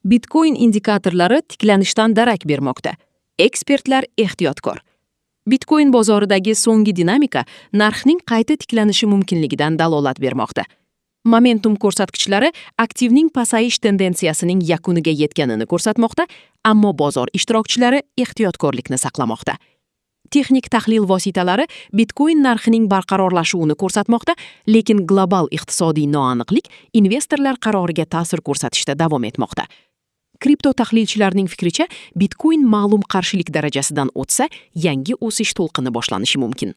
Bitcoin indikatorlari tiklanishdan darak bermoqda. Ekspertlar ehtiyotkor. Bitcoin bozoridagi so'nggi dinamika narxning qayta tiklanishi mumkinligidan dalolat bermoqda. Momentum ko'rsatkichlari aktivning pasayish tendensiyasining yakuniga yetganini ko'rsatmoqda, ammo bozor ishtirokchilari ehtiyotkorlikni saqlamoqda. Texnik tahlil vositalari Bitcoin narxining barqarorlashuvini ko'rsatmoqda, lekin global iqtisodiy noaniqlik investorlar qaroriga ta'sir ko'rsatishda davom etmoqda. Kripto tahlilchilarning fikricha, Bitcoin ma'lum qarshilik darajasidan o'tsa, yangi o'sish to'lqini boshlanishi mumkin.